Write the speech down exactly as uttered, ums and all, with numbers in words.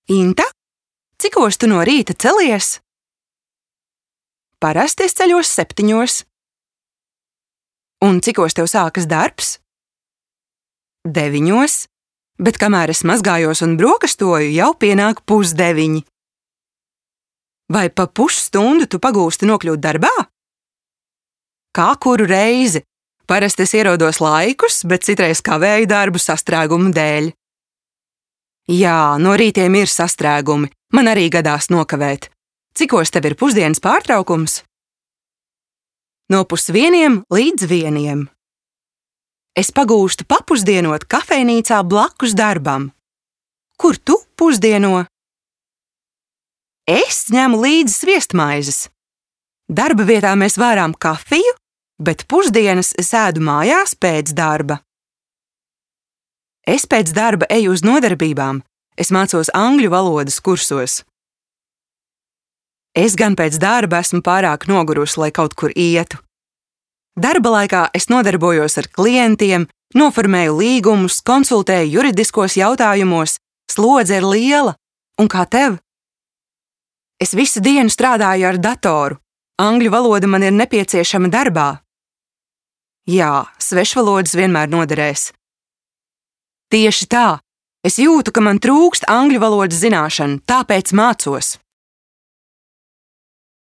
Inta, cikos tu no rīta celies? Parasti es ceļos septiņos. Un cikos tev sākas darbs? Deviņos, bet kamēr es mazgājos un brokastoju, jau pienāk pusdeviņi. Vai pa pusstundu tu pagūsti nokļūt darbā? Kā kuru reizi? Parasti es ierodos laikus, bet citreiz kavēju darbu sastrēgumu dēļ. Jā, no rītiem ir sastrēgumi, man arī gadās nokavēt. Cikos tev ir pusdienas pārtraukums? No pusvieniem līdz vieniem. Es pagūstu papusdienot kafejnīcā blakus darbam. Kur tu pusdieno? Es ņemu līdzi sviestmaizes. Darba vietā mēs vārām kafiju, bet pusdienas es ēdu mājās pēc darba. Es pēc darba eju uz nodarbībām. Es mācos angļu valodas kursos. Es gan pēc darba esmu pārāk nogurusi, lai kaut kur ietu. Darba laikā es nodarbojos ar klientiem, noformēju līgumus, konsultēju juridiskos jautājumos, slodze ir liela. Un kā tev? Es visu dienu strādāju ar datoru. Angļu valoda man ir nepieciešama darbā. Jā, svešvalodas vienmēr noderēs. Tieši tā. Es jūtu, ka man trūkst angļu valodas zināšanu, tāpēc mācos.